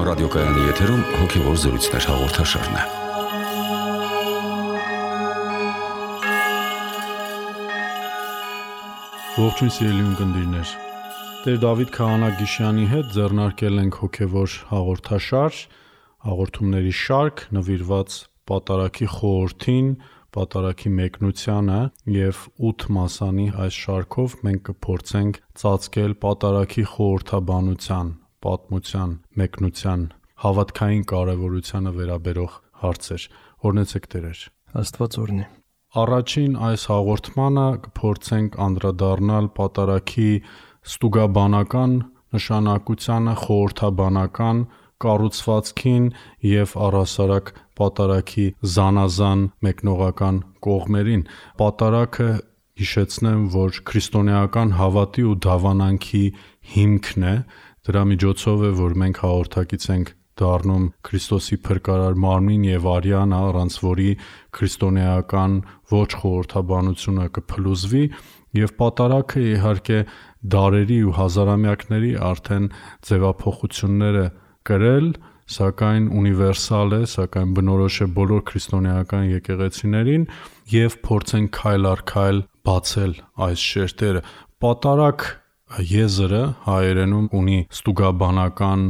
ռադիոկայանի եթերում հոգևոր զրույցներ հաղորդաշարն է։ Ողջույն սիրելի ունկնդիրներ։ Տեր Դավիթ Քահանա Գիշյանի հետ ձեռնարկել ենք հոգևոր հաղորդաշար, հաղորդումների շարք նվիրված պատարագի խորհրդին, պատարագի մեկնությանը և 8 մասանի այս շարքով մենք կփորձենք ծածկել պատարագի խորհրդաբանության, պատմության, մեկնության, հավատքային կարևորությանը վերաբերող հարցեր։ Օրհնեցեք Տերեր։ Աստված օրհնի։ Առաջին այս հաղորդմանը կփորձենք անդրադառնալ պատարագի ստուգաբանական նշանակությանը, խորհրդաբանական կառուցվածքին և առհասարակ պատարագի զանազան մեկնողական կողմերին։ Պատարագը, հիշեցնեմ, որ քրիստոնեական հավատի ու դավանանքի հիմքն է, դրա միջոցով է, որ մենք հաղորդակից ենք դառնում Քրիստոսի փրկարար մարմին և արյանը, առանց որի քրիստոնեական ոչ խորհրդաբանությունը կփլուզվի, և պատարագը իհարկե դարերի ու հազարամյակների արդեն ձևափոխություններ է կրել, սակայն ունիվերսալ է, սակայն բնորոշ է բոլոր քրիստոնեական եկեղեցիներին, և փորձենք քայլ առ քայլ բացել այս շերտերը։ Պատարագ եզրը հայերենում ունի ստուգաբանական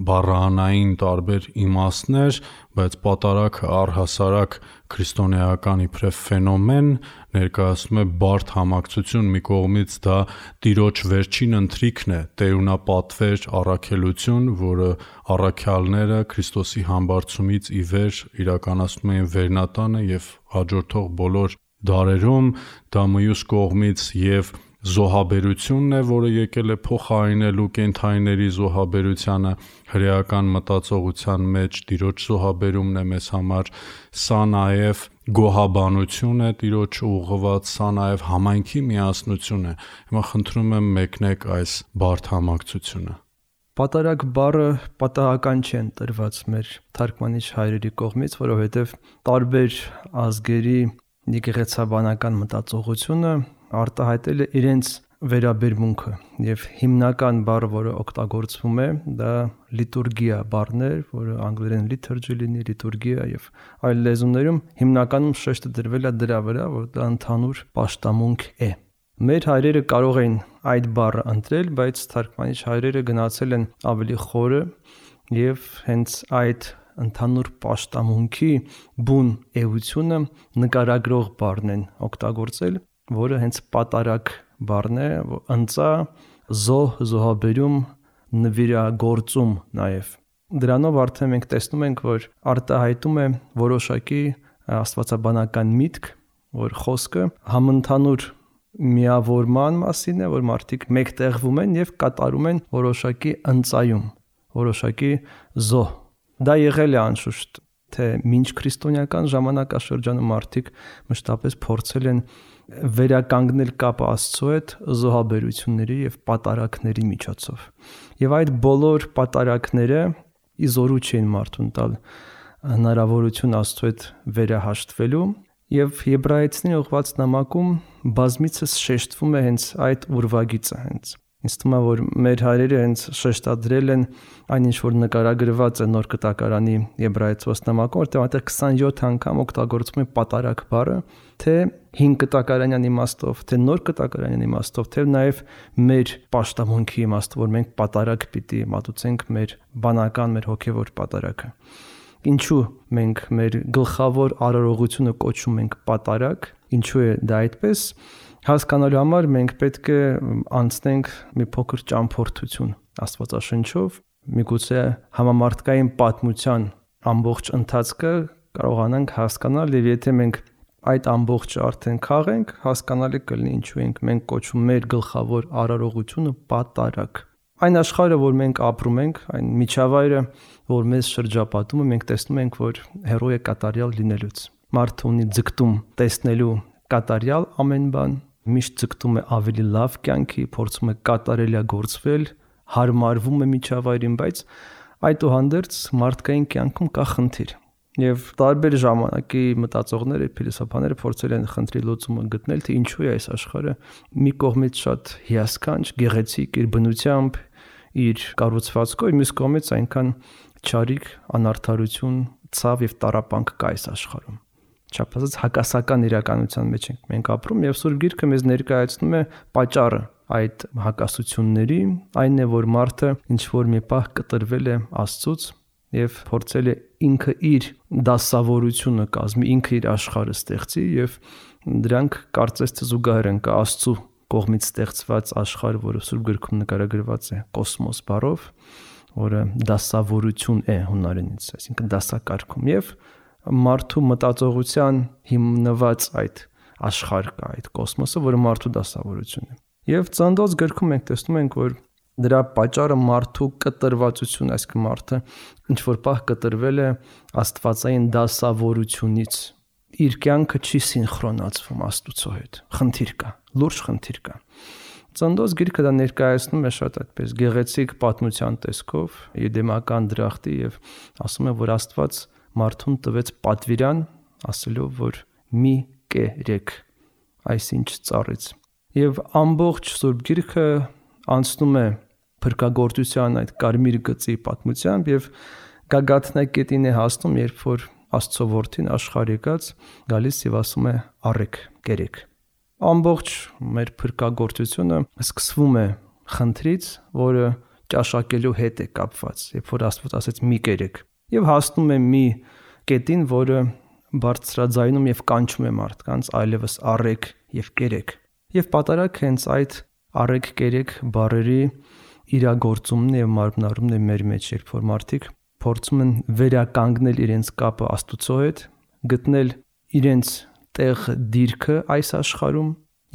բառահանային տարբեր իմաստներ, բայց պատարագը առհասարակ քրիստոնեական իբրև ֆենոմեն ներկայացնում է բարդ համակցություն։ Մի կողմից դա Տիրոջ վերջին ընթրիքն է, տերունապատվեր առաքելություն, որը առաքյալները Քրիստոսի համբարձումից ի վեր իրականացնում էին վերնատանը և հաջորդող բոլոր դարերում, դա մյուս կողմից և զոհաբերությունն է, որը եկել է փոխարինելու կենդանիների զոհաբերությանը հրեական մտածողության մեջ Տիրոջ զոհաբերումն է մեզ համար, սա նաև գոհաբանություն է Տիրոջ ուղղված, սա նաև համայնքի միասնություն է։ Հիմա խնդրում եմ մեկնեք այս բարդ համակցությունը։ Պատարագ բառը պատահական չի ընտրված մեր թարգմանիչ հայրերի կողմից, որովհետև տարբեր ազգերի եկեղեցաբանական մտածողությունը արտահայտել է իրենց վերաբերմունքը, և հիմնական բառը, որը օգտագործվում է, դա լիտուրգիա բառն է, որը անգլերեն liturgy լինի, լիտուրգիա, և այլ լեզուներում հիմնականում շեշտը դրվել է դրա վրա, որ դա ընդհանուր պաշտամունք է։ Մեր հայրերը կարող էին այդ բառը ընտրել, բայց թարգմանիչ հայրերը գնացել են ավելի խորը և հենց այդ ընդհանուր պաշտամունքի բուն էությունը նկարագրող բառն են օգտագործել, որը հենց պատարագ բառն է, ընծա, զոհ, զոհաբերում, նվիրագործում նաև։ Դրանով արդեն մենք տեսնում ենք, որ արտահայտում է որոշակի աստվածաբանական միտք, որ խոսքը համընդհանուր միավորման մասին է, որ մարդիկ մեկտեղվում են և կատարում են որոշակի ընծայում, որոշակի զոհ։ Դա եղել է անշուշտ, թե մինչ քրիստոնեական ժամանակաշրջանում մարդիկ մշտապես փորձել են վերականգնել կապը Աստծո հետ զոհաբերությունների և պատարագների միջոցով։ Եվ այդ բոլոր պատարագները իզորու չեն մարդուն տալ հնարավորություն Աստծո հետ վերահաշտվելու, և Եբրայեցիներին ուղղված նամակում բազմիցս շեշտվում է հենց այդ ուրվագիծը հենց։ Ինձ թվում է, որ մեր հայրերը հենց շեշտադրել են այն, ինչ որ նկարագրված է Նոր Կտակարանի Եբրայեցիների նամակում, որտեղ այնտեղ 27 անգամ օգտագործվում է պատարագ բառը, թե 5 կտակարանյան իմաստով, թե Նոր Կտակարանյան իմաստով, թե նաև մեր պաշտամունքի իմաստով, որ մենք պատարագ պիտի մատուցենք մեր բանական, մեր հոգևոր պատարագը։ Ինչու մենք մեր գլխավոր արարողությունը կոչում ենք պատարագ, ինչու է դա այդպես, հասկանալու համար մենք պետք է անցնենք մի փոքր ճամփորդություն Աստվածաշնչով, միգուցե համամարտկային պատմության ամբողջ ընթացքը կարողանանք հասկանալ, և եթե մենք այդ ամբողջը արդեն քաղենք, հասկանալի կլինի ինչու ենք մենք կոչում մեր գլխավոր արարողությունը պատարագ։ Այն աշխարհը, որ մենք ապրում ենք, այն միջավայրը, որ մեզ շրջապատում է, մենք տեսնում ենք, որ հեռու է կատարյալ լինելուց։ Մարդը ունի ձգտում տեսնելու կատարյալ ամեն բան, միշտ ձգտում է ավելի լավ կյանքի, փորձում է կատարելագործվել, հարմարվում է միջավայրին, բայց այդուհանդերձ մարդկային կյանքում կա խնդիր։ Եվ տարբեր ժամանակի մտածողները, փիլիսոփաները փորձել են խնդրի լուծումը գտնել, թե ինչու է այս աշխարհը մի կողմից շատ հիասքանչ, գեղեցիկ իր բնությամբ, իր կառուցվածքով, մյուս կողմից այնքան չարիք, անարդարություն, ցավ եւ տառապանք կա այս աշխարհում։ Չափազանց հակասական իրականության մեջ ենք մենք ապրում եւ Սուրբ Գիրքը մեզ ներկայացնում է պատճառը այդ հակասությունների, այն է, որ մարդը ինչ որ մի պահ կտրվել է Աստծուց եւ փորձել է ինքը իր դասավորությունը կազմի, ինքը իր աշխարհը ստեղծի եւ դրանք կարծես թե զուգահեռ են կա Աստծու կողմից ստեղծված աշխարհ, որը Սուրբ Գրքում նկարագրված է կոսմոս բառով, որը դասավորություն է հունարենից, այսինքն դասակարգում եւ մարդու մտածողության հիմնված այդ աշխարհ կա, այդ կոսմոսը, որը մարդու դասավորությունն է։ Եվ Ծննդոց գրքում մենք տեսնում ենք, որ դրա պատճառը մարդու կտրվածություն, այսինքն մարդը ինչ որ պահ կտրվել է աստվածային դասավորությունից, իր կյանքը չի սինխրոնացվում Աստծո հետ։ Խնդիր կա, լուրջ խնդիր կա։ Ծննդոց գիրքը դա ներկայացնում է շատ այդպես գեղեցիկ պատմության տեսքով, եդեմական դրախտի եւ ասում է, որ Աստված մարդուն տվեց պատվիրան, ասելով, որ մի կերեք այսինչ ծառից։ Եվ ամբողջ Սուրբ Գիրքը անցնում է փրկagorցության այդ կարմիր գծի պատմությամբ եւ գագաթնակետին է հասնում, երբ որ Աստծո որդին աշխարհ եկած գալիս եւ ասում է առեք, կերեք։ Ամբողջ մեր փրկagorցությունը սկսվում է խնդրից, որը ճաշակելու հետ է կապված, երբ որ Աստված ասեց մի կերեք, եւ հասնում է մի կետին, որը բարձրաձայնում եւ կանչում է մարդկանց այլևս առեք եւ կերեք։ Եվ պատարագ հենց այդ առեք կերեք բառերի իրագործումն եւ մարմնարումն է մեր մեջ, երբ որ մարդիկ փորձում են վերականգնել իրենց կապը Աստծո հետ, գտնել իրենց տեղ դիրքը այս աշխարհում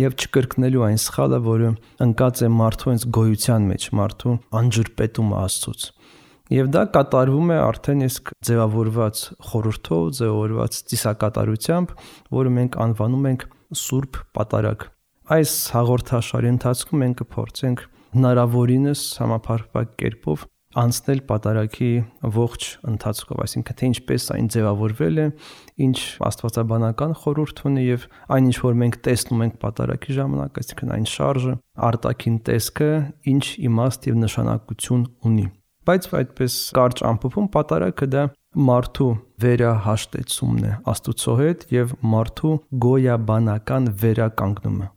եւ չկրկնելու այն սխալը, որը ընկած է մարդու հենց գոյության մեջ, մարդու անջրպետումը Աստծուց։ Եվ դա կատարվում է արդեն իսկ ձևավորված խորհրդով, ձևավորված ծիսակատարությամբ, որը մենք անվանում ենք Սուրբ Պատարագ։ Այս հաղորդաշարի ընթացքում մենք կփորձենք հնարավորինս համապարփակ կերպով անցնել պատարագի ողջ ընթացքով, այսինքն թե ինչպես այն ձևավորվել է, ինչ աստվածաբանական խորհուրդ ունի եւ այն ինչ որ մենք տեսնում ենք պատարագի ժամանակ, այսինքն այն շարժը, արտաքին տեսքը, ինչ իմաստ եւ նշանակություն ունի։ Բայց այդպես կարճ ամփոփում պատարագը դա մարդու վերահաշտեցումն է Աստծո հետ եւ մարդու գոյաբանական վերականգնումը։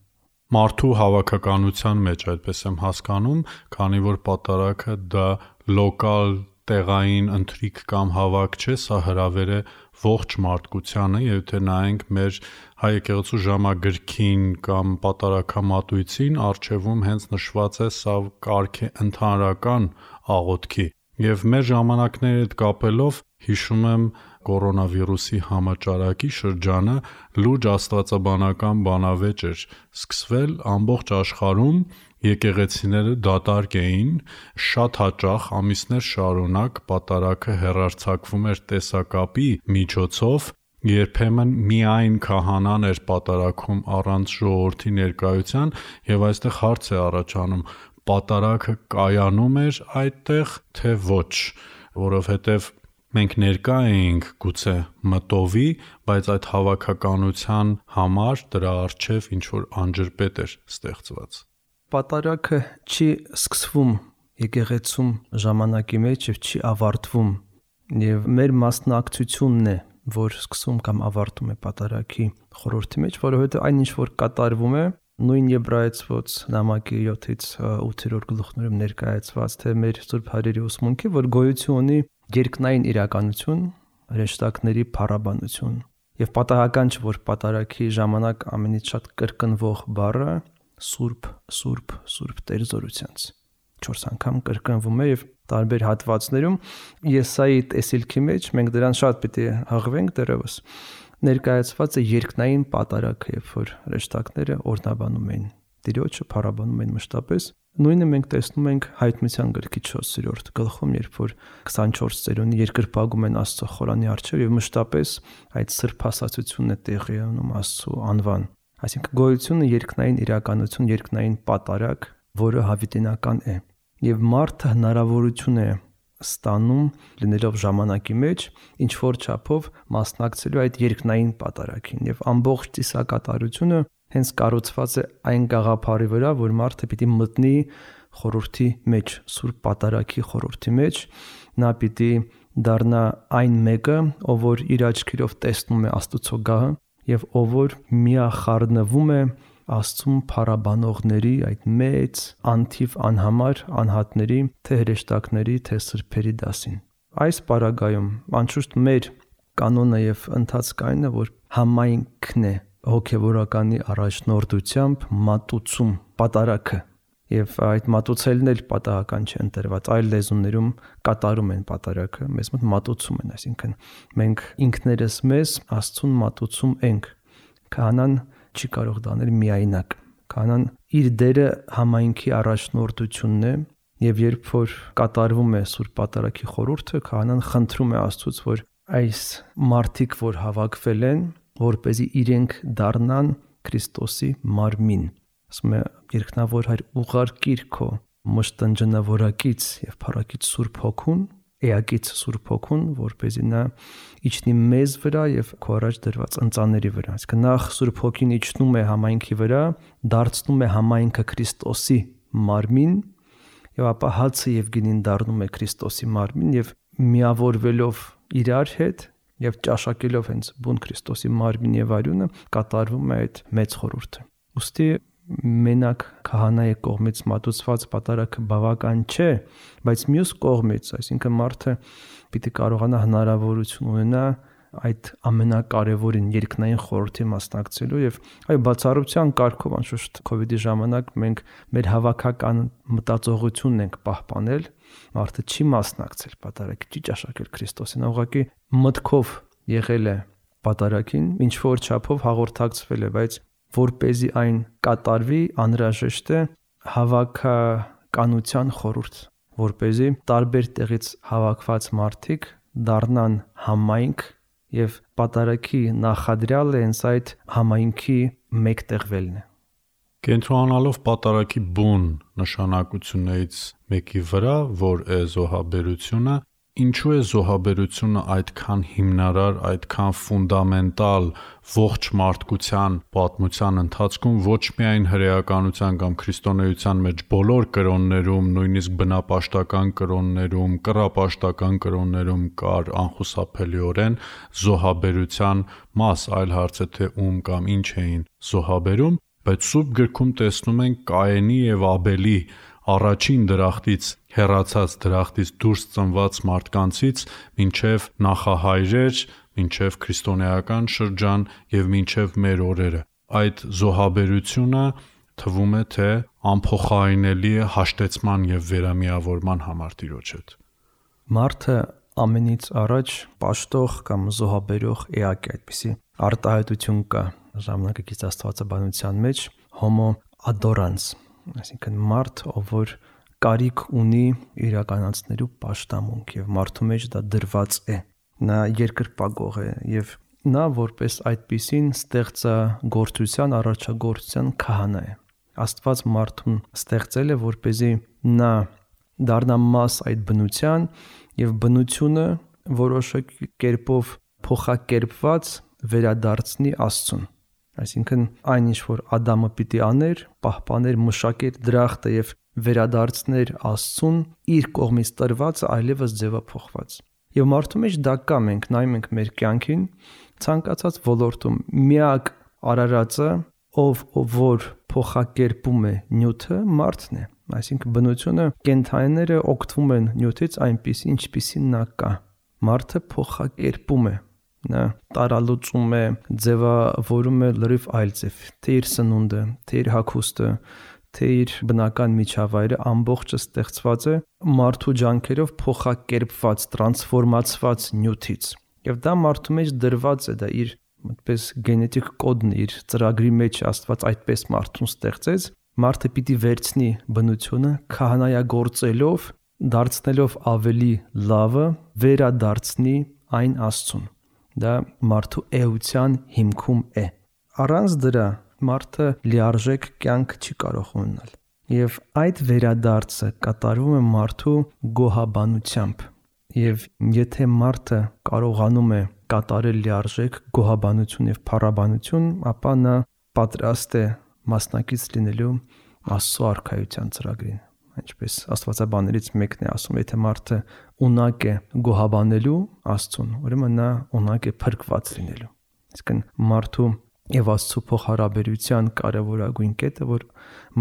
Մարդու հավաքականության մեջ այդպես եմ հասկանում, քանի որ պատարագը դա լոկալ տեղային ընթրիք կամ հավաք չէ, սա հրավեր է ողջ մարդկությանը, եւ թե նայենք մեր հայ եկեղեցու ժամագրքին կամ պատարագամատույցին, արժևում հենց նշված է սա կարգ է ընդհանրական աղոթքի։ Եվ մեր ժամանակների հետ կապելով հիշում եմ կորոնավիրուսի համաճարակի շրջանը լուրջ աստվածաբանական բանավեճ էր սկսվել ամբողջ աշխարհում, եկեղեցիները դատարկ էին, շատ հաճախ ամիսներ շարունակ պատարագը հեռարձակվում էր տեսակապի միջոցով, երբեմն միայն քահանան էր պատարագում առանց ժողովրդի ներկայության, եւ այստեղ հարց է առաջանում. պատարագը կայանում էր այդտեղ, թե ոչ, որովհետև մենք ներկա էինք գուցե մտովի, բայց այդ հավաքականության համար դրա առջև ինչ-որ անջրպետ էր ստեղծված։ Պատարագը չի սկսվում եկեղեցում ժամանակի մեջ եւ չի ավարտվում, եւ մեր մասնակցությունն է, որ սկսում կամ ավարտում է պատարագի խորհրդի մեջ, որովհետեւ այն ինչ որ կատարվում է, նույն եբրայեցված նամակի 7-ից 8-րդ գլուխներում ներկայացված, թե մեր Սուրբ Հայրերի ուսմունքի, որ գոյություն ունի երկնային իրականություն, հրեշտակների փառաբանություն։ Եվ պատահական չէ, որ պատարագի ժամանակ ամենից շատ կրկնվող բառը Սուրբ, Սուրբ, Սուրբ Տեր զորությանց 4 անգամ կրկնվում է եւ տարբեր հատվածներում Եսայի տեսիլքի մեջ մենք դրան շատ պիտի հղվենք դեռևս ներկայացված է երկնային պատարագը, երբ որ հրեշտակները օրհնաբանում էին Տիրոջը, փառաբանում էին մշտապես։ Նույնը մենք տեսնում ենք Հայտնության գրքի 4-րդ գլխում, երբ որ 24 ծերունի երկրպագում են Աստծո խորանի առջև եւ մշտապես այդ սրբասացությունն է տեղի ունենում Աստծո անվան։ Այսինքն գոյությունը երկնային իրականություն, երկնային պատարագ, որը հավիտենական է։ Եվ մարդը հնարավորություն է ստանում լինելով ժամանակի մեջ ինչ որ չափով մասնակցելու այդ երկնային պատարագին եւ ամբողջ ծիսակատարությունը հենց կառուցված է այն գաղափարի վրա, որ մարդը պիտի մտնի խորհրդի մեջ, Սուրբ Պատարագի խորհրդի մեջ, նա պիտի դառնա այն մեկը, ով որ իր աչքերով տեսնում է Աստծո գահը եւ ով որ միախառնվում է Աստծուն փառաբանողների այդ մեծ անթիվ անհամար անհատների, թե հրեշտակների, թե սրբերի դասին։ Այս պարագայում անշուշտ մեր կանոնը եւ ընթացքայինը, որ համայնքն է հոգեվորականի առաջնորդությամբ մատուցում պատարագը եւ այդ մատուցելն էլ պատահական չի ընտրված, այլ լեզուներում կատարում են պատարագը, մեզ մոտ մատուցում են, այսինքն մենք ինքներս մեզ Աստծուն մատուցում ենք։ Քահանան չի կարող դանել միայնակ։ Քահանան իր դերը համայնքի առաջնորդությունն է եւ երբ որ կատարվում է Սուրբ Պատարագի խորհուրդը, քահանան խնդրում է Աստծուց, որ այս մարդիկ, որ հավաքվել են, որպեսզի իրենք դառնան Քրիստոսի մարմին։ Ասում է երկնավոր Հայր, ուղարկիր քո մշտնջնավորակից եւ փառակից Սուրբ Հոգուն, էակից Սուրբ Հոգուն, որպեսզի նա իջնի մեզ վրա եւ քո առաջ դրված ընծաների վրա։ Այսինքն նախ Սուրբ Հոգին իջնում է համայնքի վրա, դարձնում է համայնքը Քրիստոսի մարմին եւ ապա հացը եւ գինին դառնում է Քրիստոսի մարմին եւ միավորվելով իրար հետ եւ ճաշակելով հենց բուն Քրիստոսի մարմին եւ արյունը կատարվում է այդ մեծ խորհուրդը։ Ոստի մենակ քահանայի կողմից մատուցված պատարագը բավական չէ, բայց մյուս կողմից, այսինքն մարդը պիտի կարողանա հնարավորություն ունենա այդ ամենակարևորին երկնային խորհրդի մասնակցելու եւ այ բացառության կարգով անշուշտ COVID-ի ժամանակ մենք մեր հավաքական մտածողությունն ենք պահպանել, մարդը չի մասնակցել պատարագի, չի ճաշակել Քրիստոսին, ուղղակի մտքով եղել է պատարագին, ինչ որ չափով հաղորդակցվել է, բայց որպեսզի այն կատարվի, անհրաժեշտ է հավաքականության խորհուրդ, որպեսզի տարբեր տեղից հավաքված մարդիկ դառնան համայնք եւ պատարագի նախադրյալը հենց այդ համայնքի մեկտեղվելն է։ Կենտրոնանալով պատարագի բուն նշանակություններից մեկի վրա, որ է զոհաբերությունը, ինչու է զոհաբերությունը այդքան հիմնարար, այդքան ֆունդամենտալ ողջ մարդկության պատմության ընթացքում ոչ միայն հրեականության կամ քրիստոնեության մեջ բոլոր կրոններում, նույնիսկ բնապաշտական կրոններում, կռապաշտական կրոններում կար անխուսափելիորեն զոհաբերության մաս, այլ հարց է թե ում կամ ինչ էին զոհաբերում, բայց Սուրբ գրքում տեսնում ենք Կայենի եւ Աբելի առաջին դրախտից հեռացած դրախտից դուրս ծնված մարդկանցից մինչև նախահայրեր, մինչև քրիստոնեական շրջան եւ մինչև մեր օրերը։ Այդ զոհաբերությունը թվում է թե անփոխարինելի է հաշտեցման եւ վերամիավորման համար Տիրոջ հետ։ Մարդը ամենից առաջ պաշտող կամ զոհաբերող էակ է, այդպիսի արտահայտություն կա ժամանակակից աստվածաբանության մեջ homo adorans, այսինքն մարդ, ով որ կարիք ունի իրականացնելու պաշտամունք եւ մարդու մեջ դա դրված է, նա երկրպագող է եւ նա որպես այդպիսին ստեղծագործության, առաջագործության քահանա է։ Աստված մարդուն ստեղծել է, որպեսզի նա դառնա մաս այդ բնության եւ բնությունը որոշակի կերպով փոխակերպված վերադարձնի Աստծուն։ Այսինքն այն ինչ որ Ադամը պիտի աներ, պահպաներ, մշակեր դրախտը եւ վերադարձներ Աստծուն, իր կողմից տրվածը այլևս ձևափոխված։ Եվ մարդու մեջ դա կա, մենք նայում ենք մեր կյանքին, ցանկացած ոլորտում միակ արարածը, ով որ փոխակերպում է նյութը, մարդն է։ Այսինքն բնությունը, կենդանիները օգտվում են նյութից այնպիսի, ինչպիսին նա կա։ Մարդը փոխակերպում է, նա տարալուծում է, ձևավորում է լրիվ այլ ձև, թե իր սնունդը, թե իր հագուստը, թե իր բնական միջավայրը ամբողջը ստեղծված է մարդու ջանքերով փոխակերպված, տրանսֆորմացված նյութից։ Եվ դա մարդու մեջ դրված է, դա իր այդպես գենետիկ կոդն է, իր ծրագրի մեջ Աստված այդպես մարդուն ստեղծեց, մարդը պիտի վերցնի բնությունը քահանայագործելով, դարձնելով ավելի լավը, վերադարձնի այն Աստծուն։ Դա մարդու էության հիմքում է։ Առանց դրա մարդը լիարժեք կյանք չի կարող ունենալ։ Եվ այդ վերադարձը կատարվում է մարդու գոհաբանությամբ։ Եվ եթե մարդը կարողանում է կատարել լիարժեք գոհաբանություն եւ փառաբանություն, ապա նա պատրաստ է մասնակից լինելու Աստծո արքայության ծրագրին։ Ինչպես աստվածաբաններից մեկն է ասում, եթե մարդը ունակ է գոհաբանելու Աստծուն, ուրեմն նա ունակ է փրկված լինելու։ Իսկն մարդու եւ Աստծո փոխհարաբերության կարևորագույն կետը, որ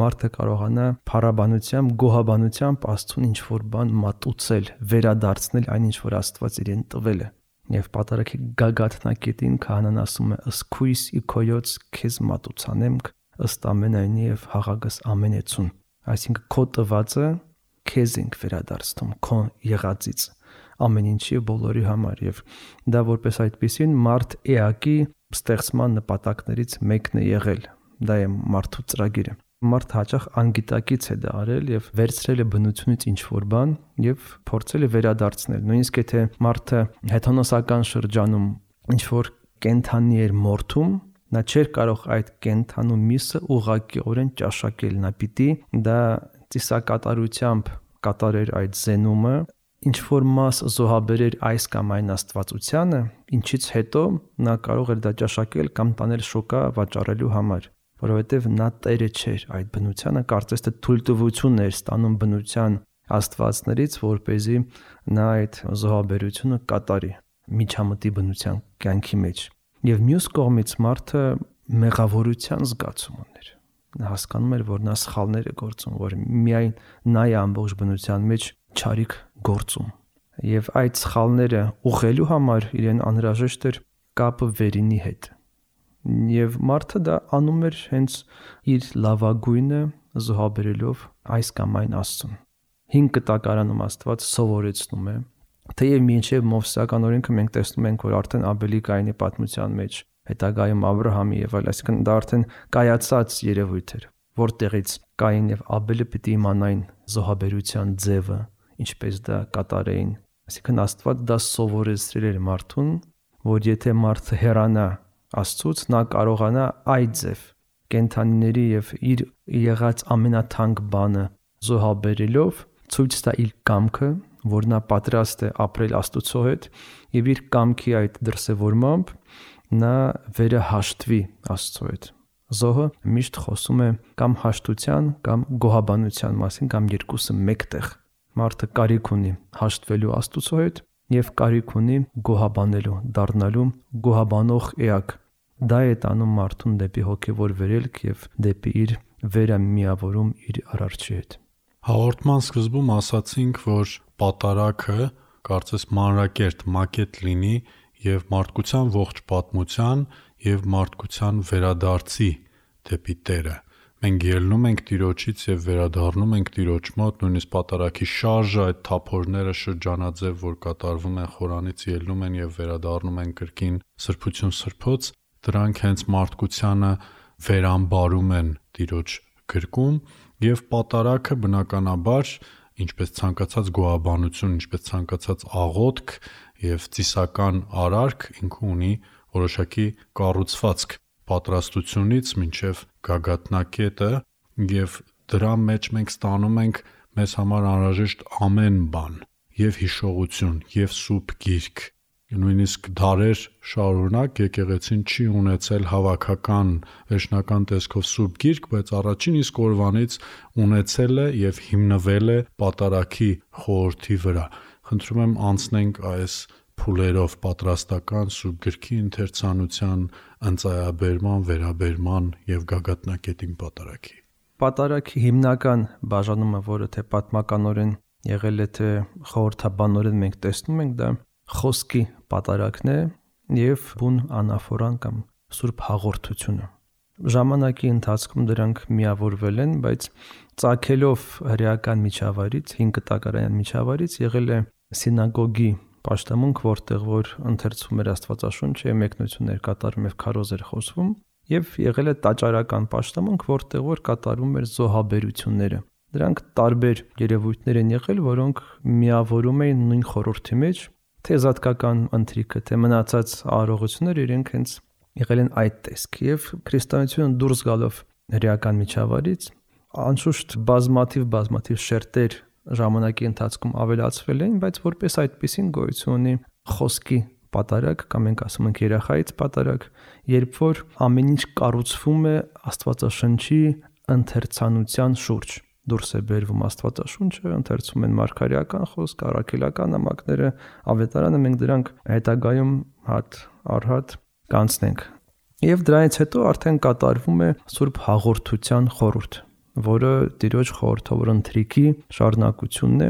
մարդը կարողանա փառաբանությամբ, գոհաբանությամբ Աստծուն ինչ որ բան մատուցել, վերադարձնել այն ինչ որ Աստված իրեն տվել է։ Եվ պատարագի գագաթնակետին քահանան ասում է. «Ըսքույս իքոյոց քեզ մատուցանեմք ըստ ամենայնի եւ հաղագս ամենեցուն»։ Այսինքն քո տվածը քեզ ենք վերադարձնում, քո եղածից ամեն ինչի բոլորի համար, եւ դա որպես այդպեսին մարդ էակի ստեղծման նպատակներից մեկն է եղել։ Դա է մարդու ծրագիրը։ Մարդ հաճախ անգիտակից է դա արել եւ վերցրել է բնությունից ինչ որ բան եւ փորձել է վերադարձնել։ Նույնիսկ եթե մարդը հեթանոսական շրջանում ինչ որ կենթանի էր մորթում, նա չէր կարող այդ կենթանու միսը ուղղակիորեն ճաշակել, նա պիտի դա ծիսակատարությամբ կատարեր այդ զենումը, ինչ որ մաս զոհաբերեր այս կամ այն աստվածությանը, ինչից հետո նա կարող էր դա ճաշակել կամ տանել շոկա վաճառելու համար, որովհետև նա տերը չէր այդ բնությանը, կարծես թե թույլտվություն էր ստանում բնության աստվածներից, որպեսզի նա այդ զոհաբերությունը կատարի միջամտի բնության կյանքի մեջ։ Եվ մյուս կողմից մարդը մեղավորության զգացում ուներ։ Նա հասկանում էր, որ նա սխալներ է գործում, որ միայն նա է ամբողջ բնության մեջ չարիք գործում։ Եվ այդ սխալները ուղղելու համար իրեն անհրաժեշտ էր կապը վերինի հետ։ Եվ մարդը դա անում էր հենց իր լավագույնը զոհաբերելով այս կամ այն Աստծուն։ 5 կտակարանում Աստված սովորեցնում է, թեև մինչև Մովսեսական օրենքը մենք տեսնում ենք, որ արդեն Աբելի Կայինի պատմության մեջ, հետագայում Աբրահամի եւ այլ, այսինքն դա արդեն կայացած երևույթ էր, որտեղից Կային եւ Աբելը պիտի իմանային զոհաբերության ձևը, ինչպես դա կատարեին։ Այսինքն Աստված դա սովորեցրել էր մարդուն, որ եթե մարդը հեռանա Աստծուց, նա կարողանա այդ ձև կենթանիների եւ իր եղած ամենաթանկ բանը զոհաբերելով ցույց տա իր կամքը, որ նա պատրաստ է ապրել Աստծո հետ եւ իր կամքի այդ դրսևորմամբ նա վերահաշտվի Աստծո հետ։ Զոհը միշտ խոսում է կամ հաշտության կամ գոհաբանության մասին կամ երկուսը մեկտեղ։ Մարդը կարիք ունի հաշտվելու Աստծո հետ եւ կարիք ունի գոհաբանելու, դառնալու գոհաբանող էակ։ Դա է տանում մարդուն դեպի հոգեվոր վերելք եւ դեպի իր վերամիավորում իր Արարչի հետ։ Հաղորդման սկզբում ասացինք, որ պատարագը կարծես մանրակերտ մակետ լինի եւ մարդկության ողջ պատմության եւ մարդկության վերադարձի դեպի Տերը։ Մենք ելնում ենք Տիրոջից եւ վերադառնում ենք Տիրոջ մոտ, նույնիսկ պատարագի շարժը, այդ թափորները շրջանաձև, որ կատարվում են խորանից, ելնում են եւ վերադառնում են կրկին սրբություն սրբոց, դրանք հենց մարդկությանը վերամբարում են Տիրոջ գրկում եւ պատարագը բնականաբար, ինչպես ցանկացած գոհաբանություն, ինչպես ցանկացած աղոթք եւ ծիսական արարք, ինքը ունի որոշակի կառուցվածք պատրաստությունից մինչև գագաթնակետը եւ դրա մեջ մենք ստանում ենք մեզ համար անհրաժեշտ ամեն բան եւ հիշողություն եւ սուրբ գիրք նույնիսկ դարեր շարունակ եկեղեցին չի ունեցել հավաքական վերջնական տեսքով սուրբ գիրք, բայց առաջին իսկ օրվանից ունեցել է եւ հիմնվել է պատարագի խորհրդի վրա։ Խնդրում եմ անցնենք այս փուլերով պատրաստական սուրբ գրքի ընթերցանության, ընծայաբերման, վերաբերման եւ գագաթնակետին պատարագի։ Պատարագի հիմնական բաժանումը, որը թե պատմականորեն եղել է, թե խորհրդաբանորեն մենք տեսնում ենք, դա խոսքի պատարագն է եւ բուն անաֆորան կամ սուրբ հաղորդությունը։ Ժամանակի ընթացքում դրանք միավորվել են, բայց ծագելով հրեական միջավայրից, 5 կտակարային միջավայրից եղել է սինագոգի պաշտամունք, որտեղ որ ընթերցվում էր Աստվածաշունչը, մեկնություններ կատարում եւ քարոզ էր խոսվում, եւ եղել է տաճարական պաշտամունք, որտեղ որ կատարվում էր զոհաբերությունները։ Դրանք տարբեր երևույթներ են եղել, որոնք միավորում էին նույն խորհրդի մեջ, թե զատկական ընթրիքը, թե մնացած արարողությունները իրենք հենց եղել են այդ տեսք եւ քրիստոնեությունը դուրս գալով հրեական միջավայրից անշուշտ բազմաթիվ շերտեր ժամանակի ընթացքում ավելացվել են, բայց որպես այդպեսին գոյություն ունի խոսքի պատարագ կամ մենք ասում ենք երախայից պատարագ, երբ որ ամեն ինչ կառուցվում է Աստվածաշնչի ընթերցանության շուրջ։ դուրս է բերվում Աստվածաշունչը, ընթերցում են մարգարեական խոսք, առաքելական նամակները, ավետարանը, մենք դրանք հետագայում հատ առ հատ կանցնենք։ Եվ դրանից հետո արդեն կատարվում է Սուրբ Հաղորդության խորհուրդ, որը Տիրոջ խորհրդավոր ընթրիքի շարունակությունն է։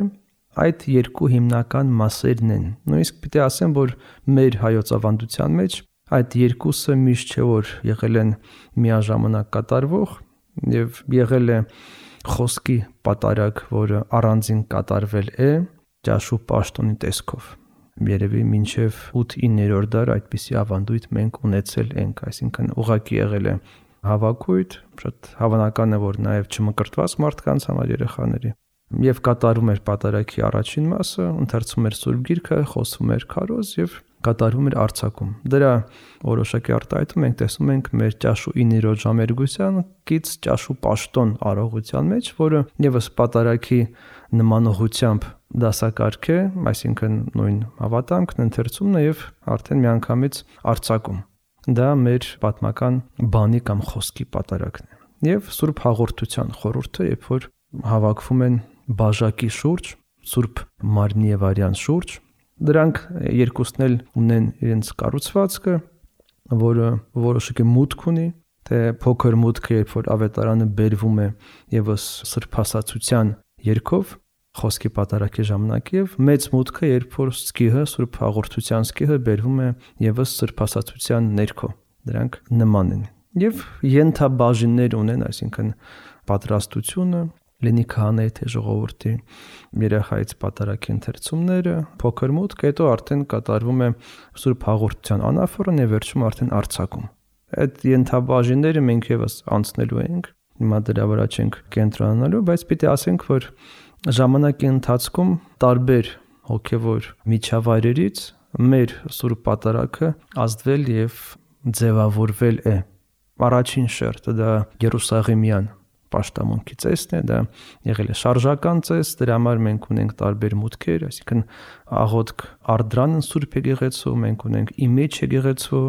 Այդ երկու հիմնական մասերն են։ Նույնիսկ պիտի ասեմ, որ մեր հայոց ավանդության մեջ այդ երկուսը միշտ չէ որ եղել են միաժամանակ կատարվող եւ եղել է խոսքի պատարագ, որը առանձին կատարվել է ճաշու պաշտոնի տեսքով։ Երևի մինչև 8-9-րդ դար այդպիսի ավանդույթ մենք ունեցել ենք, այսինքն ուղղակի եղել է հավաքույթ, շատ հավանական է որ նաև չմկրտված մարդկանց համար երեխաների եւ կատարում էր պատարագի առաջին մասը, ընթերցում էր Սուրբ Գիրքը, խոսում էր քարոզ եւ կատարվում էր արձակում։ Դրա որոշակի արտահայտում մենք տեսնում ենք մեր ճաշու 9-րդ ժամերգության կից ճաշու պաշտոն արողության մեջ, որը եւս պատարագի նմանողությամբ դասակարգ է, այսինքն նույն հավատամքն, ընթերցումն է եւ արդեն միանգամից արձակում։ Դա մեր պատմական բանի կամ խոսքի պատարագն է։ Եվ Սուրբ Հաղորդության խորհուրդը, երբ որ հավաքվում են բաժակի շուրջ, Սուրբ Մարմնի եւ Արյան շուրջ, դրանք երկուսն էլ ունեն իրենց կառուցվածքը, որը որոշակի մուտք ունի, թե փոքր մուտքը, երբ որ ավետարանը բերվում է եւս սրբասացության երգով, խոսքի պատարագի ժամանակ, եւ մեծ մուտքը, երբ որ սկիհը, Սուրբ Հաղորդության սկիհը բերվում է եւս սրբասացության ներքո։ Դրանք նման են։ Եվ ենթաբաժիններ ունեն, այսինքն պատրաստությունը, լինի քահանայի թե ժողովրդի երեխայից պատարագի ընթերցումները, փոքր մուտք, հետո արդեն կատարվում է Սուրբ Հաղորդության անաֆորն եւ վերջում արդեն արձակում։ Այդ ենթաբաժինները մենք եւս անցնելու ենք, հիմա դրա վրա չենք կենտրոնանալու, բայց պիտի ասենք, որ ժամանակի ընթացքում տարբեր հոգեվոր միջավայրերից մեր Սուրբ Պատարագը ազդվել եւ ձևավորվել է։ Առաջին շերտը դա Երուսաղեմյան պաշտամունքի ծեսն է, դա եղել է շարժական ծես, դրա համար մենք ունենք տարբեր մուտքեր, այսինքն աղոթք արդրանն Սուրբ Եկեղեցու, մենք ունենք իմիջ եկեղեցու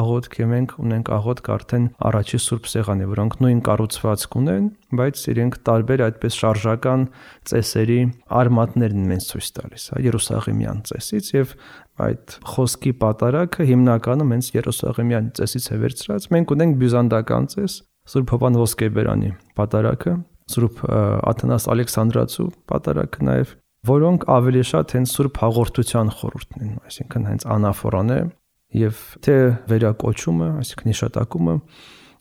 աղոթք, եւ մենք ունենք աղոթք արդեն առաջի Սուրբ Սեղանի, որոնք նույն կառուցվածք ունեն, բայց իրենք տարբեր այդպես շարժական ծեսերի արմատներն են ցույց տալիս, Երուսաղեմյան ծեսից, եւ այդ խոսքի պատարագը հիմնականում հենց Երուսաղեմյան ծեսից է վերցրած։ Մենք ունենք բյուզանդական ծես, Սուրբ Հովհան Ոսկեբերանի պատարագը, Սուրբ Աթանաս Ալեքսանդրացու պատարագը նաև, որոնք ավելի շատ հենց Սուրբ Հաղորդության խորհուրդն են, այսինքն հենց անաֆորան է եւ թե վերակոչումը, այսինքն հիշատակումը,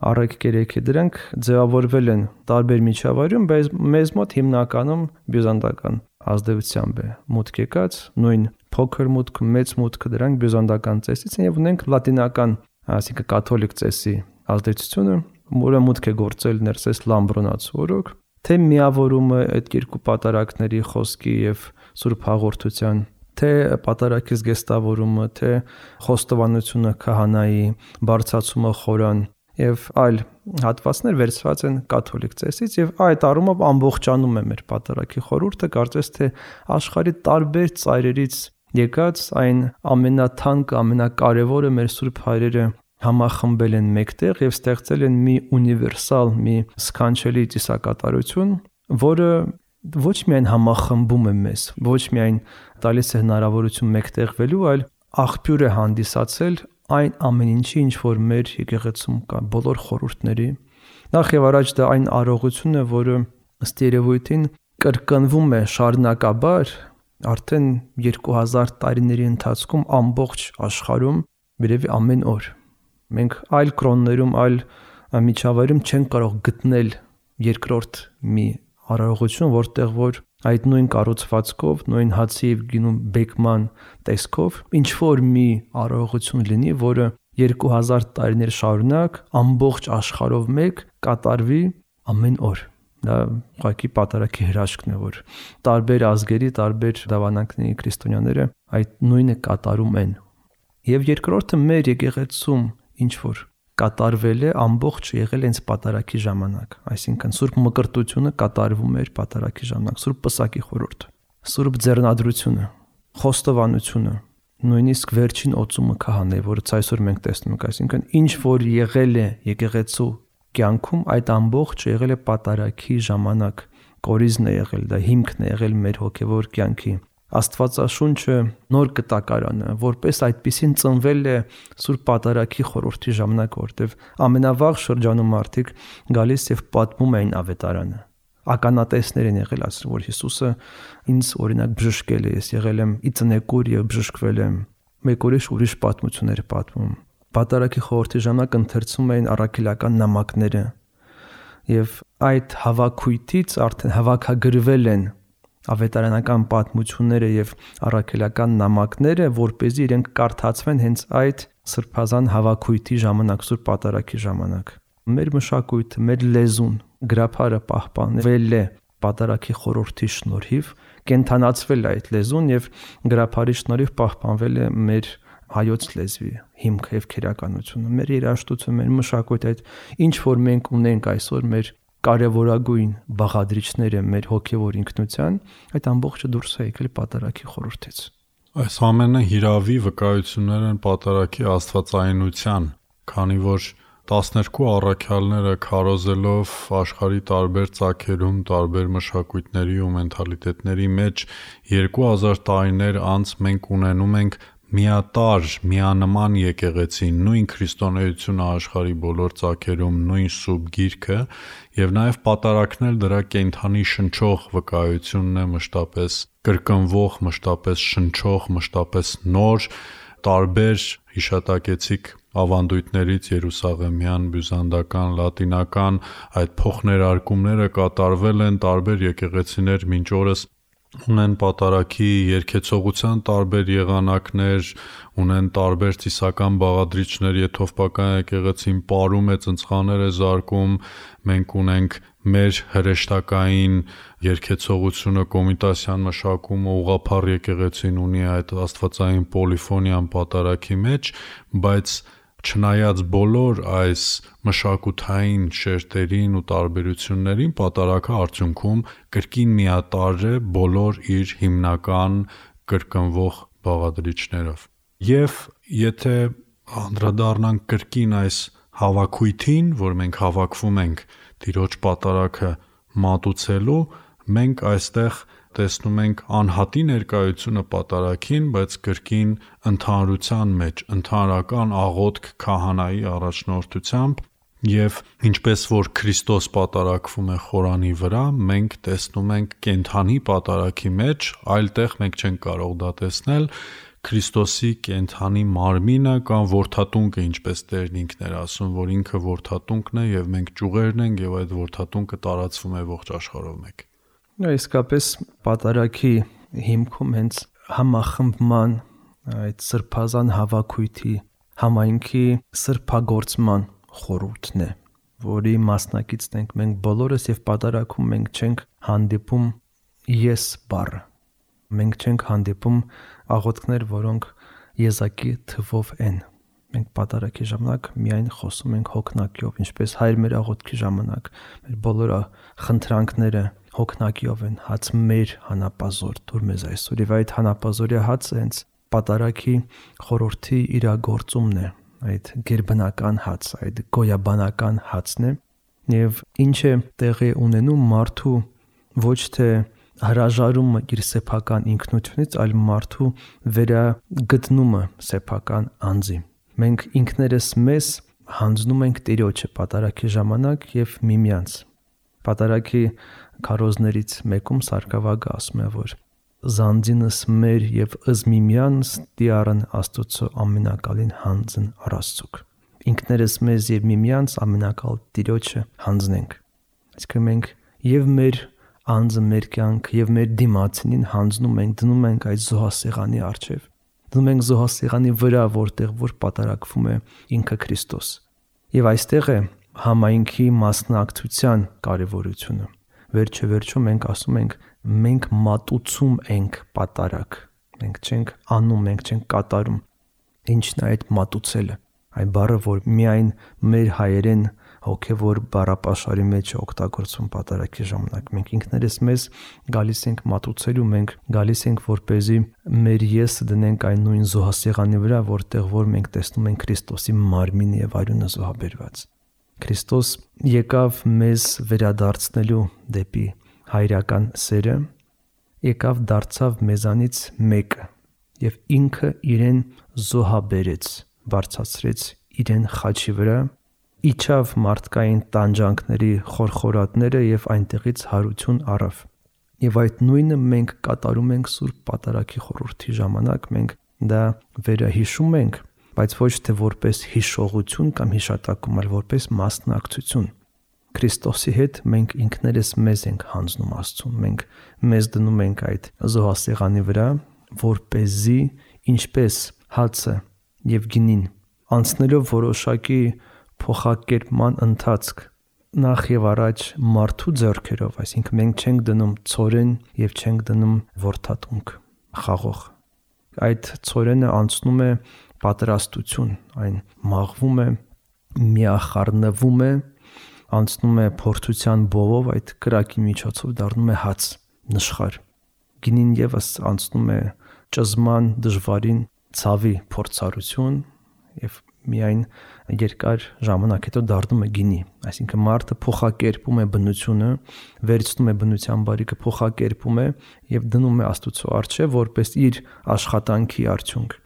առեք կերեքի, դրանք ձևավորվել են տարբեր միջավայրում, բայց մեզ մոտ հիմնականում բյուզանդական ազդեցությամբ է մուտք եկած, նույն փոքր մուտք, մեծ մուտքը դրանք բյուզանդական ծեսից են եւ ունենք լատինական, այսինքն կաթոլիկ ծեսի ազդեցությունը, որը մուտք է գործել ներսես Լամբրոնաց օրոք, թե միավորումը այդ երկու պատարագների խոսքի եւ Սուրբ Հաղորդության, թե պատարագի զգեստավորումը, թե խոստովանությունը քահանայի, բարձրացումը խորան եւ այլ հատվածներ վերցված են կաթոլիկ ծեսից եւ այդ առումով ամբողջանում է մեր պատարագի խորհուրդը, կարծես թե աշխարհի տարբեր ծայրերից եկած այն ամենաթանկ, ամենակարևորը մեր Սուրբ հայրերը համախմբել են մեկտեղ եւ ստեղծել են մի ունիվերսալ, մի սքանչելի ծիսակատարություն, որը ոչ միայն համախմբում է մեզ, ոչ միայն տալիս է հնարավորություն մեկտեղվելու, այլ աղբյուր է հանդիսացել այն ամեն ինչի, ինչ որ մեր եկեղեցում կա, բոլոր խորհուրդների։ Նախ եւ առաջ դա այն արողությունն է, որը ըստ երևույթին կրկնվում է շարունակաբար արդեն 2000 տարիների ընթացքում ամբողջ աշխարհում, երևի ամեն օր։ Մենք այլ կրոններում, այլ միջավայրում չենք կարող գտնել երկրորդ մի արարողություն, որտեղ որ այդ նույն կառուցվածքով, նույն հացի եւ գինու բեկման տեսքով ինչ որ մի արարողություն լինի, որը 2000 տարիներ շարունակ ամբողջ աշխարհով մեկ կատարվի ամեն օր։ Դա ուղղակի պատարագի հրաշքն է, որ տարբեր ազգերի, տարբեր դավանանքների քրիստոնյաները այդ նույնը կատարում են։ Եվ երկրորդը մեր եկեղեցում ինչ որ կատարվել է, ամբողջ եղել հենց պատարագի ժամանակ, այսինքն Սուրբ Մկրտությունը կատարվում էր պատարագի ժամանակ, Սուրբ Պսակի խորհուրդ, Սուրբ Ձեռնադրությունը, խոստովանությունը, նույնիսկ վերջին օծումը քահանայի, որը այսօր մենք տեսնում ենք, այսինքն ինչ որ եղել է եկեղեցու կյանքում, այդ ամբողջը եղել է պատարագի ժամանակ, կորիզն է եղել, դա հիմքն է եղել մեր հոգևոր կյանքի։ Աստվածաշունչը նոր կտակարանը, որպես այդպիսին ծնվել է Սուրբ Պատարագի խորհրդի ժամանակ, որտեղ ամենավաղ շրջանում մարդիկ գալիս եւ պատմում էին ավետարանը։ Ականատեսներ են եղել, ասում որ Հիսուսը ինձ օրինակ բժշկել է, ես եղել եմ ի ծնեկուր եւ բժշկվել եմ։ Մեկ ուրիշ պատմություններ պատմում։ Պատարագի խորհրդի ժամանակ ընթերցում էին առաքելական նամակները եւ այդ հավաքույթից արդեն հավաքագրվել են ավետարանական պատմությունները եւ առաքելական նամակները, որպեսզի իրենք կարդացվեն հենց այդ սրբազան հավաքույթի ժամանակ, Սուրբ Պատարագի ժամանակ։ Մեր մշակույթը, մեր լեզուն, գրափարը պահպանվել է Պատարագի խորհրդի շնորհիվ, կենթանացվել է այդ լեզուն եւ գրափարի շնորհիվ պահպանվել է մեր հայոց լեզվի հիմքը եւ քերականությունը, մեր երաժշտությունը, մեր մշակույթը, այդ ինչ որ մենք ունենք այսօր մեր կարևորագույն բաղադրիչները մեր հոգևոր ինքնության, այդ ամբողջը դուրս է եկել Պատարագի խորհրդից։ Այս ամենը հիրավի վկայություններ են Պատարագի աստվածայնության, քանի որ 12 առաքյալները քարոզելով աշխարհի տարբեր ծագերում, տարբեր մշակույթների ու մենթալիտետների մեջ 2000 տարիներ անց մենք ունենում ենք միատար, միանման եկեղեցի, նույն քրիստոնեությունը աշխարհի բոլոր ծագերում, նույն սուրբ գիրքը եւ նաեւ պատարագնել դրա կենթանի շնչող վկայությունն է մշտապես կրկնվող, մշտապես շնչող, մշտապես նոր տարբեր հիշատակեցիկ ավանդույթներից Երուսաղեմյան, բյուզանդական, լատինական այդ փոխներարկումները կատարվել են տարբեր եկեղեցիներ մինչ օրս ունեն Պատարագի երգեցողության տարբեր եղանակներ, ունեն տարբեր ծիսական բաղադրիչներ, եթովպական եկեղեցին պարում է, ծնցղաներ է զարկում, մենք ունենք մեր հրեշտակային երգեցողությունը, կոմիտասյան մշակումը, ուղղափառ եկեղեցին ունի այդ աստվածային պոլիֆոնիան Պատարագի մեջ, բայց չնայած բոլոր այս մշակութային շերտերին ու տարբերություններին, Պատարագը արդյունքում կրկին միատարր է բոլոր իր հիմնական կրկնվող բաղադրիչներով։ Եվ եթե անդրադառնանք կրկին այս հավաքույթին, որ մենք հավաքվում ենք Տիրոջ Պատարագը մատուցելու, մենք այստեղ տեսնում ենք անհատի ներկայությունը Պատարագին, բայց կրկին ընդհանրության մեջ, ընդհանրական աղոթք քահանայի առաջնորդությամբ եւ ինչպես որ Քրիստոս պատարագվում է խորանի վրա, մենք տեսնում ենք կենթանի Պատարագի մեջ, այլտեղ մենք չենք կարող դա տեսնել, Քրիստոսի կենթանի մարմինը կամ որդատունկը, ինչպես Տերն ինքն էր ասում, որ ինքը որդատունկն է եւ մենք ճյուղերն ենք եւ այդ որդատունկը տարածվում է ողջ աշխարհով մեկ։ Իսկապես Պատարագի հիմքում հենց համախմբման այդ սրբազան հավաքույթի համայնքի սրբագործման խորհուրդն է, որի մասնակիցն ենք մենք բոլորս եւ Պատարագում մենք չենք հանդիպում ես բառը, մենք չենք հանդիպում աղոթքներ, որոնք եզակի թվով են։ Մենք Պատարագի ժամանակ միայն խոսում ենք հոգնակիով, ինչպես Հայր մեր աղոթքի ժամանակ մեր բոլոր խնդրանքները հոգնակիով են, հաց մեր հանապազոր դուր մեզ այսօր, եւ այդ հանապազորյա հացը հենց Պատարագի խորհրդի իրագործումն է, այդ գերբնական հաց, այդ գոյաբանական հացն է, եւ ինչ է տեղի ունենում մարդու ոչ թե հրաժարումը իր սեփական ինքնությունից, այլ մարդու վերագտնումը սեփական անձի։ Մենք ինքներս մեզ հանձնում ենք Տիրոջը Պատարագի ժամանակ եւ միմյանց։ Պատարագի քարոզներից մեկում Սարգսակը ասում է, որ զանձինս մեր եւ ըզ միմյանց դիարն Աստծո ամենակալին հանձն առաստուկ։ Ինքներս մեզ եւ միմյանց ամենակալ Տիրոջը հանձնենք։ Այսինքն մենք եւ մեր անձը, մեր կյանք եւ մեր դիմացին հանձնում ենք, դնում ենք այդ զոհասեղանի առջև։ Դնում ենք զոհասեղանի վրա, որտեղ որ պատարագվում է ինքը Քրիստոս։ Եվ այստեղ է համայնքի մասնակցության կարևորությունը։ Վերջը մենք ասում ենք, մենք մատուցում ենք պատարագ։ Մենք չենք անում, մենք չենք կատարում։ Ինչն է այդ մատուցելը։ Այն բառը, որ միայն մեր հայերեն հոգևոր բառապաշարի մեջ օգտագործում պատարագի ժամանակ։ Մենք ինքներս մեզ գալիս ենք մատուցելու, մենք գալիս ենք որպեսզի մեր եսը դնենք այն նույն զոհասեղանի վրա, որտեղ որ մենք տեսնում ենք Քրիստոսի մարմինը եւ արյունը զոհաբերված։ Քրիստոս եկավ մեզ վերադարձնելու դեպի հայրական սերը, եկավ դարձավ մեզանից մեկը եւ ինքը իրեն զոհաբերեց, բարձրացրեց իրեն խաչի վրա, իջավ մարդկային տանջանքների խորխորատները եւ այնտեղից հարություն առավ։ Եվ այդ նույնը մենք կատարում ենք Սուրբ Պատարագի խորհրդի ժամանակ, մենք դա վերահիշում ենք, բայց ոչ թե որպես հիշողություն կամ հիշատակում, այլ որպես մասնակցություն։ Քրիստոսի հետ մենք ինքներս մեզ ենք հանձնում Աստծուն, մենք մեզ դնում ենք այդ զոհասեղանի վրա, որպեսզի ինչպես հացը եւ գինին անցնելով որոշակի փոխակերպման ընթացք նախ եւ առաջ մարդու ձեռքերով, այսինքն մենք չենք դնում ծորեն եւ չենք դնում ворթատունք, խաղող։ Այդ ծորենը անցնում է պատրաստություն, այն մաղվում է, միախառնվում է, անցնում է փորձության բովով, այդ կրակի միջոցով դառնում է հաց, նշխար։ Գինին եւս անցնում է ճզման դժվարին ցավի փորձառություն եւ միայն երկար ժամանակ հետո դառնում է գինի, այսինքն մարդը փոխակերպում է բնությունը, վերցնում է բնության բարիքը, փոխակերպում է եւ դնում է Աստծո առջև որպես իր աշխատանքի արդյունք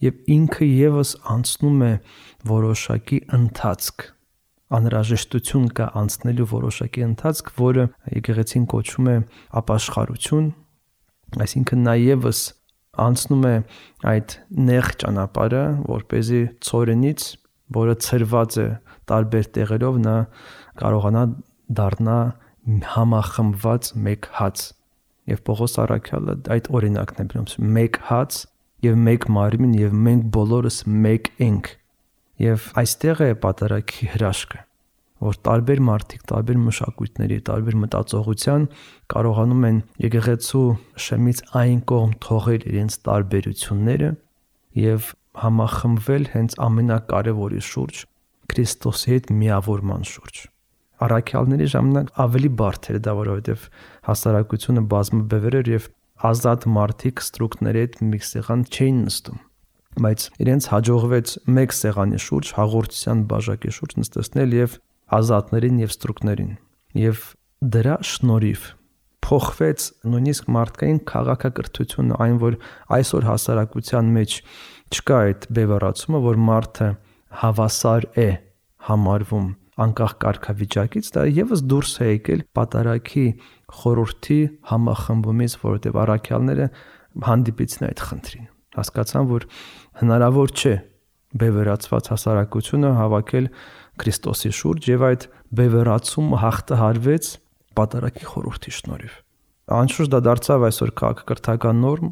եւ ինքը եւս անցնում է որոշակի ընթացք, անհրաժեշտություն կա անցնելու որոշակի ընթացք, որը եկեղեցին կոչում է ապաշխարություն, այսինքն նա եւս անցնում է այդ նեղ ճանապարհը, որպեսզի ծորենից, որը ծրված է տարբեր տեղերով, նա կարողանա դառնա համախմբված մեկ հաց։ Եվ Պողոս առաքյալը այդ օրինակն է բերում, մեկ հաց եւ մեկ մարմին եւ մենք բոլորս մեկ ենք։ Եվ այստեղ է պատարագի հրաշքը, որ տարբեր մարդիկ, տարբեր մշակույթների, տարբեր մտածողության կարողանում են եկեղեցու շեմից այն կողմ թողել իրենց տարբերությունները եւ համախմբվել հենց ամենակարևորի շուրջ, Քրիստոսի հետ միավորման շուրջ։ Առաքյալների ժամանակ ավելի բարդ էր դա, որովհետեւ հասարակությունը բազմաբևեր էր եւ ազատ մարդիկ ստրուկների հետ մի սեղան չէին նստում, բայց իրենց հաջողվեց մեկ սեղանի շուրջ, հաղորդության բաժակի շուրջ նստեցնել եւ ազատներին եւ ստրուկներին, եւ դրա շնորհիվ փոխվեց նույնիսկ մարդկային քաղաքակրթությունը, այն որ այսօր հասարակության մեջ չկա այդ բևեռացումը, որ մարդը հավասար է համարվում անկախ կարգավիճակից, դա եւս դուրս է եկել պատարագի խորհրդի համախմբումից, որովհետեւ առաքյալները հանդիպեցին այդ խնդրին, հասկացան, որ հնարավոր չէ բևեռացված հասարակությունը հավաքել Քրիստոսի շուրջ եւ այդ բևեռացումը հաղթահարվեց պատարագի խորհրդի շնորհիվ։ Անշուշտ դա դարձավ այսօր քաղաքակրթական նորմ,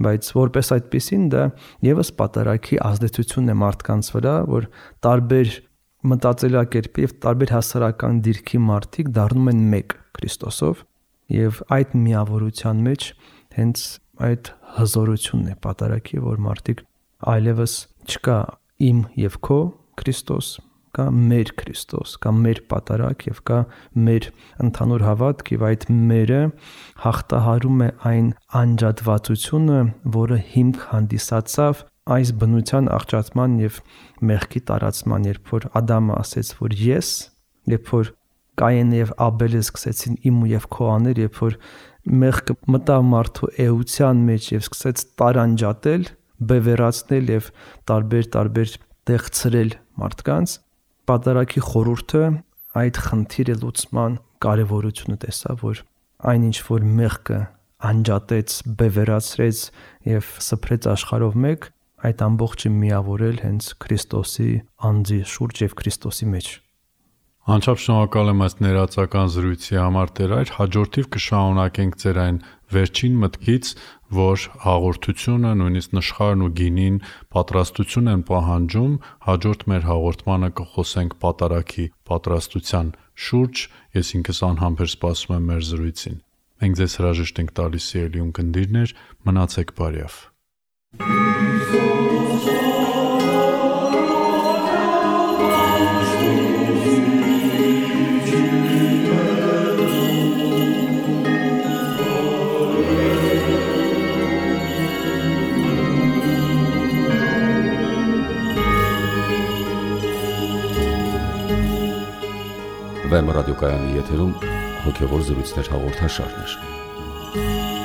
բայց որպես այդպեսին դա եւս պատարագի ազդեցությունն է մարդկանց վրա, որ տարբեր մտածելակերպի եւ տարբեր հասարակական դիրքի մարդիկ դառնում են մեկ Քրիստոսով եւ այդ միավորության մեջ հենց այդ հզորությունն է պատարագի, որ մարդիկ այլևս չկա իմ եւ քո Քրիստոս, կա մեր Քրիստոս, կա մեր պատարագ եւ կա մեր ընդհանուր հավատք եւ այդ մերը հաղթահարում է այն անջատվածությունը, որը հիմք հանդիսացավ այս բնության աղճատման եւ մեղքի տարածման, երբ որ Ադամը ասեց, որ ես, երբ որ Կայենը եւ Աբելը սկսեցին իմ ու եւ քո անել, երբ որ մեղքը մտավ մարդու էության մեջ եւ սկսեց տարանջատել, բևեռացնել եւ տարբեր տեղ ցրել մարդկանց, պատարագի խորհուրդը այդ խնդիրը լուծման կարևորությունը տեսավ, որ այնինչ որ մեղքը անջատեց, բևեռացրեց եւ սփռեց աշխարհով մեկ, այդ ամբողջը միավորել հենց Քրիստոսի անձի շուրջ եւ Քրիստոսի մեջ։ Անչափ շնորհակալ եմ այս ներածական զրույցի համար, Տեր Այր, հաջորդիվ կշարունակենք ձեր այն վերջին մտքից, որ հաղորդությունը, նույնիսկ նշխարն ու գինին պատրաստություն են պահանջում, հաջորդ մեր հաղորդմանը կխոսենք պատարագի պատրաստության շուրջ, ես ինքս անհամբեր սպասում եմ մեր զրույցին։ Մենք ձեզ հրաժեշտ ենք տալիս, սիրելի ունկնդիրներ, մնացեք բարյավ։ Վեմ ռադիոկայանի եթերում հոգևոր զրույցներ հաղորդաշարն էր։